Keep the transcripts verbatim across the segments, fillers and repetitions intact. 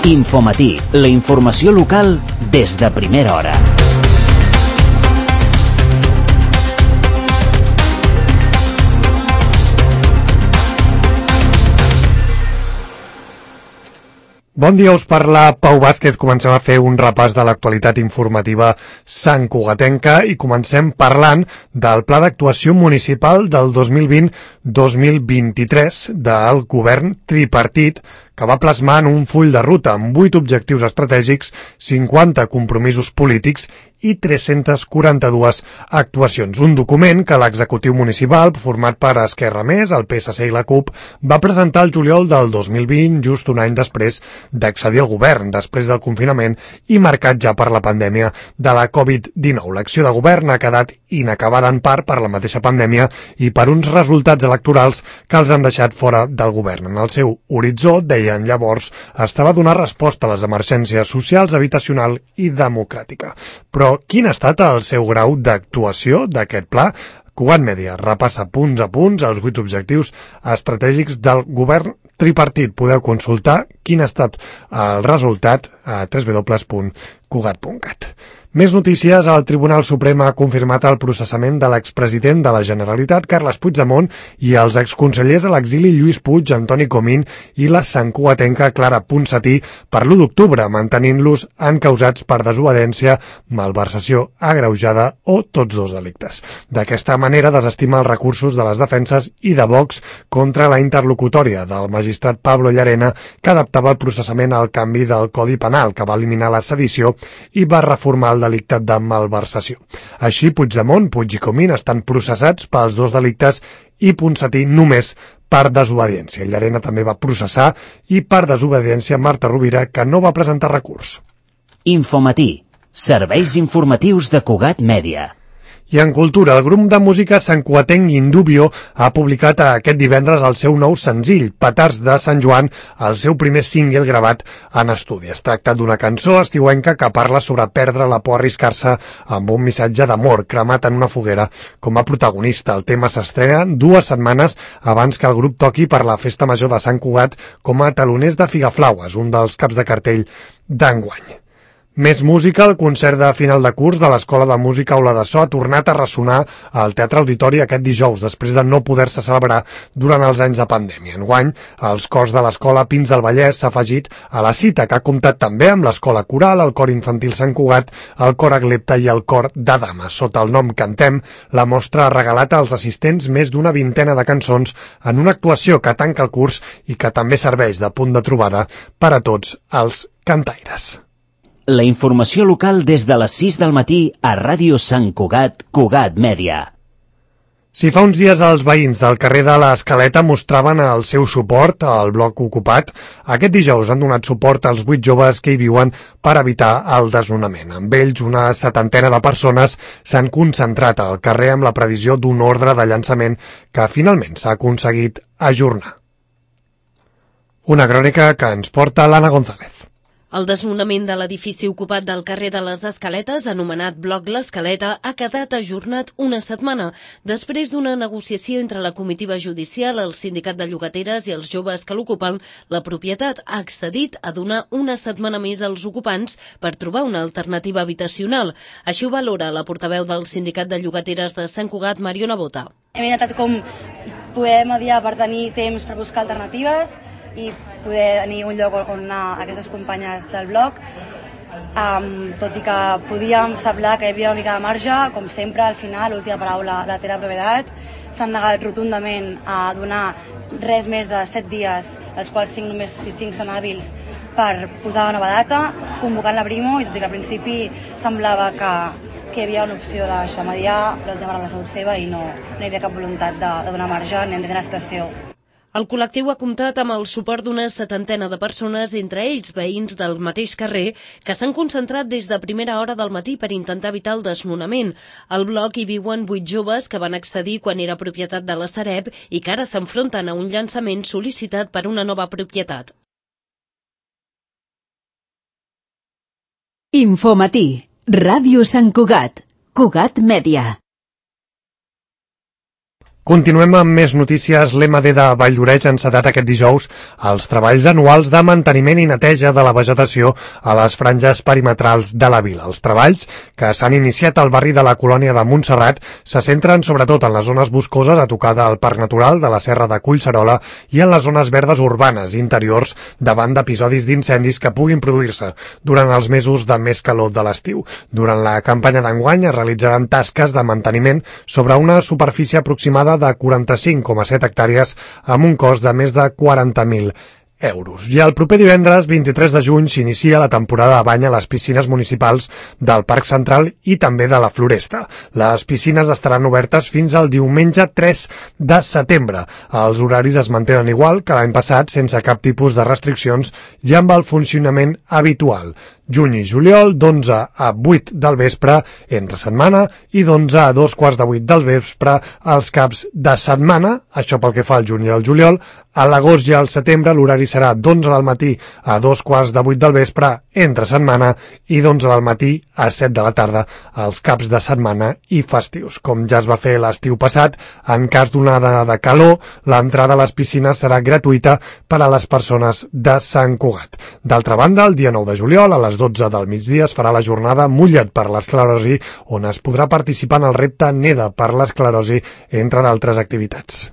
Infomatí, la informació local des de primera hora. Bon dia, us parla Pau Vázquez. Comencem a fer un repàs de l'actualitat informativa santcugatenca i comencem parlant del Pla d'Actuació Municipal del dos mil vint dos mil vint-i-tres del govern tripartit, que va plasmar en un full de ruta amb vuit objectius estratègics, cinquanta compromisos polítics i tres-centes quaranta-dues actuacions. Un document que l'executiu municipal, format per Esquerra Més, el P S C i la CUP, va presentar el juliol del dos mil vint, just un any després d'accedir al govern, després del confinament i marcat ja per la pandèmia de la covid dinou. L'acció de govern ha quedat inacabada en part per la mateixa pandèmia i per uns resultats electorals que els han deixat fora del govern. En el seu horitzó, deien llavors, estava a donar resposta a les emergències socials, habitacional i democràtica. Però quin ha estat el seu grau d'actuació d'aquest pla? Cugat Mèdia repassa punts a punts els vuit objectius estratègics del govern tripartit. Podeu consultar quin ha estat el resultat a w w w punt cugat punt cat. Més notícies. El Tribunal Suprem ha confirmat el processament de l'expresident de la Generalitat, Carles Puigdemont, i els exconsellers a l'exili Lluís Puig, Antoni Comín i la santcugatenca Clara Ponsatí per l'u d'octubre, mantenint-los encausats per desobediència, malversació agreujada o tots dos delictes. D'aquesta manera desestima els recursos de les defenses i de Vox contra la interlocutòria del magistrat Pablo Llarena, que adaptava el processament al canvi del Codi Penal, que va eliminar la sedició i va reformar el delicte de malversació. Així, Puigdemont, Puig i Comín estan processats pels dos delictes i Ponsatí només per desobediència. Llarena també va processar i per desobediència Marta Rovira, que no va presentar recurs. Infomatí, serveis informatius de Cugat Mèdia. I en cultura, el grup de música santcugatenc Indubio ha publicat aquest divendres el seu nou senzill, Petards de Sant Joan, el seu primer single gravat en estudi. Es tracta d'una cançó estiuenca que parla sobre perdre la por a arriscar-se amb un missatge d'amor cremat en una foguera com a protagonista. El tema s'estrena dues setmanes abans que el grup toqui per la Festa Major de Sant Cugat com a taloners de Figaflaues, un dels caps de cartell d'enguany. Més música. El concert de final de curs de l'Escola de Música Aula de So ha tornat a ressonar al Teatre Auditori aquest dijous, després de no poder-se celebrar durant els anys de pandèmia. Enguany, els cors de l'Escola Pins del Vallès s'ha afegit a la cita, que ha comptat també amb l'Escola Coral, el Cor Infantil Sant Cugat, el Cor Aglepta i el Cor de Dames. Sota el nom Cantem, la mostra ha regalat als assistents més d'una vintena de cançons en una actuació que tanca el curs i que també serveix de punt de trobada per a tots els cantaires. La informació local des de les sis del matí a Ràdio Sant Cugat, Cugat Mèdia. Si fa uns dies els veïns del carrer de l'Escaleta mostraven el seu suport al bloc ocupat, aquest dijous han donat suport als vuit joves que hi viuen per evitar el desnonament. Amb ells, una setantena de persones s'han concentrat al carrer amb la previsió d'un ordre de llançament que finalment s'ha aconseguit ajornar. Una crònica que ens porta l'Anna González. El desnonament de l'edifici ocupat del carrer de les Escaletes, anomenat Bloc l'Escaleta, ha quedat ajornat una setmana, després d'una negociació entre la comitiva judicial, el sindicat de llogateres i els joves que l'ocupen. La propietat ha accedit a donar una setmana més als ocupants per trobar una alternativa habitacional. Així ho valora la portaveu del sindicat de llogateres de Sant Cugat, Mariona Bota. Hem intentat com poder mediar per tenir temps per buscar alternatives i poder tenir un lloc on anar aquestes companyes del bloc, um, tot i que podíem semblar que hi havia una mica de marge. Com sempre, al final, l'última paraula la té la propietat. S'han negat rotundament a donar res més de set dies, els quals cinc només si cinc són hàbils, per posar una nova data, convocant la Brimo, i tot i que al principi semblava que, que hi havia una opció de mediar, l'última paraula ha sigut seva i no, no hi havia cap voluntat de, de donar marge ni entendre la situació. El col·lectiu ha comptat amb el suport d'una setantena de persones, entre ells veïns del mateix carrer, que s'han concentrat des de primera hora del matí per intentar evitar el desnonament. Al bloc hi viuen vuit joves que van accedir quan era propietat de la Sareb i que ara s'enfronten a un llançament sol·licitat per una nova propietat. Infomatí, Ràdio Sant Cugat, Cugat Mèdia. Continuem amb més notícies. L'E M D de Valldoreix ha encetat aquest dijous els treballs anuals de manteniment i neteja de la vegetació a les franges perimetrals de la vila. Els treballs, que s'han iniciat al barri de la Colònia de Montserrat, se centren sobretot en les zones boscoses a tocar del Parc Natural de la Serra de Collserola i en les zones verdes urbanes interiors davant d'episodis d'incendis que puguin produir-se durant els mesos de més calor de l'estiu. Durant la campanya d'enguany es realitzaran tasques de manteniment sobre una superfície aproximada de quaranta-cinc coma set hectàrees amb un cost de més de quaranta mil euros. I el proper divendres, vint-i-tres de juny, s'inicia la temporada de bany a les piscines municipals del Parc Central i també de la Floresta. Les piscines estaran obertes fins al diumenge tres de setembre. Els horaris es mantenen igual que l'any passat, sense cap tipus de restriccions i amb el funcionament habitual. Juny i juliol, d'onze a vuit del vespre entre setmana i d'onze a dos quarts de vuit del vespre als caps de setmana, això pel que fa al juny i al juliol. A l'agost i al setembre l'horari serà d'onze del matí a dos quarts de vuit del vespre entre setmana i d'onze del matí a set de la tarda als caps de setmana i festius. Com ja es va fer l'estiu passat, en cas d'una onada de calor, l'entrada a les piscines serà gratuïta per a les persones de Sant Cugat. D'altra banda, el dia nou de juliol, a les dotze del migdia, es farà la jornada Mulla't per l'esclerosi, on es podrà participar en el repte Neda per l'esclerosi, entre d'altres activitats.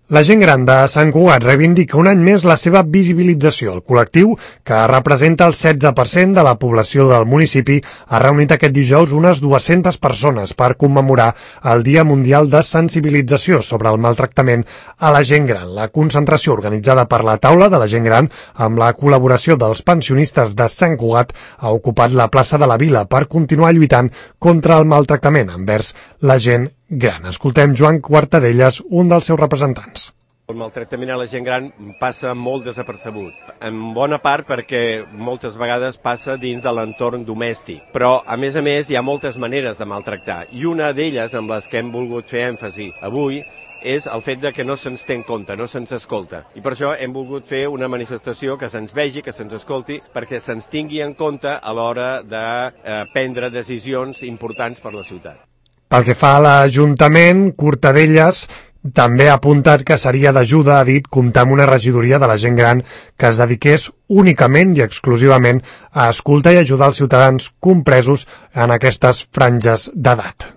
La gent gran de Sant Cugat reivindica un any més la seva visibilització. El col·lectiu, que representa el setze per cent de la població del municipi, ha reunit aquest dijous unes dues-centes persones per commemorar el Dia Mundial de Sensibilització sobre el maltractament a la gent gran. La concentració organitzada per la Taula de la Gent Gran, amb la col·laboració dels pensionistes de Sant Cugat, ha ocupat la plaça de la Vila per continuar lluitant contra el maltractament envers la gent gran. Escoltem Joan Quartadellas, un dels seus representants. El maltractament a la gent gran passa molt desapercebut, en bona part perquè moltes vegades passa dins de l'entorn domèstic, però a més a més hi ha moltes maneres de maltractar i una d'elles amb les que hem volgut fer èmfasi avui és el fet de que no se'ns té en compte, no se'ns escolta. I per això hem volgut fer una manifestació que se'ns vegi, que se'ns escolti, perquè se'ns tingui en compte a l'hora de eh, prendre decisions importants per la ciutat. Pel que fa a l'Ajuntament, Cortadellas també ha apuntat que seria d'ajuda, ha dit, comptar amb una regidoria de la gent gran que es dediqués únicament i exclusivament a escoltar i ajudar els ciutadans compresos en aquestes franges d'edat.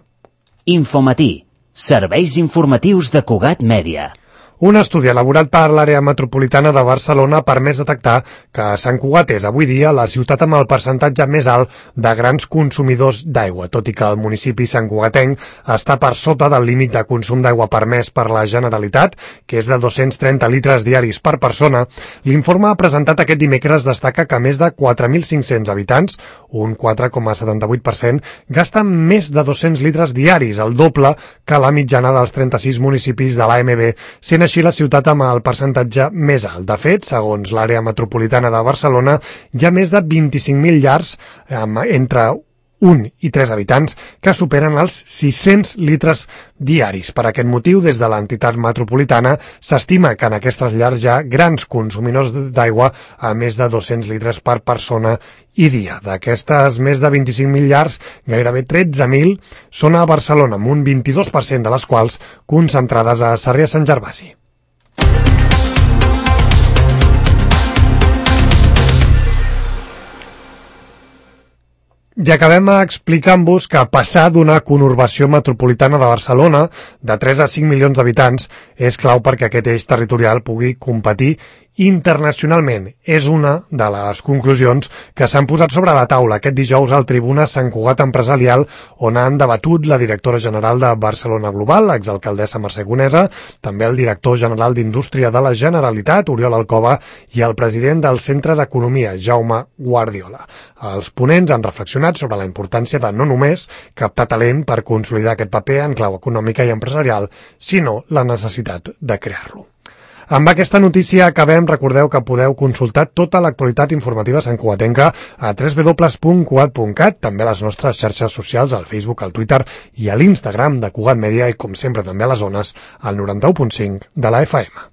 Infomatí, serveis informatius de Cugat Mèdia. Un estudi elaborat per l'àrea metropolitana de Barcelona ha permès detectar que Sant Cugat és avui dia la ciutat amb el percentatge més alt de grans consumidors d'aigua, tot i que el municipi santcugatenc està per sota del límit de consum d'aigua permès per la Generalitat, que és de dos-cents trenta litres diaris per persona. L'informe presentat aquest dimecres destaca que més de quatre mil cinc-cents habitants, un quatre coma setanta-vuit per cent, gasten més de dos-cents litres diaris, el doble que la mitjana dels trenta-sis municipis de l'A M B, sent així la ciutat amb el percentatge més alt. De fet, segons l'àrea metropolitana de Barcelona, hi ha més de vint-i-cinc mil llars entre un i tres habitants que superen els sis-cents litres diaris. Per aquest motiu, des de l'entitat metropolitana, s'estima que en aquestes llars hi ha grans consumidors d'aigua a més de dos-cents litres per persona i dia. D'aquestes més de vint-i-cinc mil llars, gairebé tretze mil són a Barcelona, amb un vint-i-dos per cent de les quals concentrades a Sarrià-Sant Gervasi. I acabem explicant-vos que passar d'una conurbació metropolitana de Barcelona de tres a cinc milions d'habitants és clau perquè aquest eix territorial pugui competir internacionalment. És una de les conclusions que s'han posat sobre la taula aquest dijous al Tribuna Sant Cugat Empresarial, on han debatut la directora general de Barcelona Global, l'exalcaldessa Mercè Conesa, també el director general d'Indústria de la Generalitat, Oriol Alcoba, i el president del Centre d'Economia, Jaume Guardiola. Els ponents han reflexionat sobre la importància de no només captar talent per consolidar aquest paper en clau econòmica i empresarial, sinó la necessitat de crear-lo. Amb aquesta notícia acabem. Recordeu que podeu consultar tota l'actualitat informativa santcugatenca a w w w punt cugat punt cat, també a les nostres xarxes socials, al Facebook, al Twitter i a l'Instagram de Cugat Mèdia i, com sempre, també a les zones, al noranta-u punt cinc de la F M.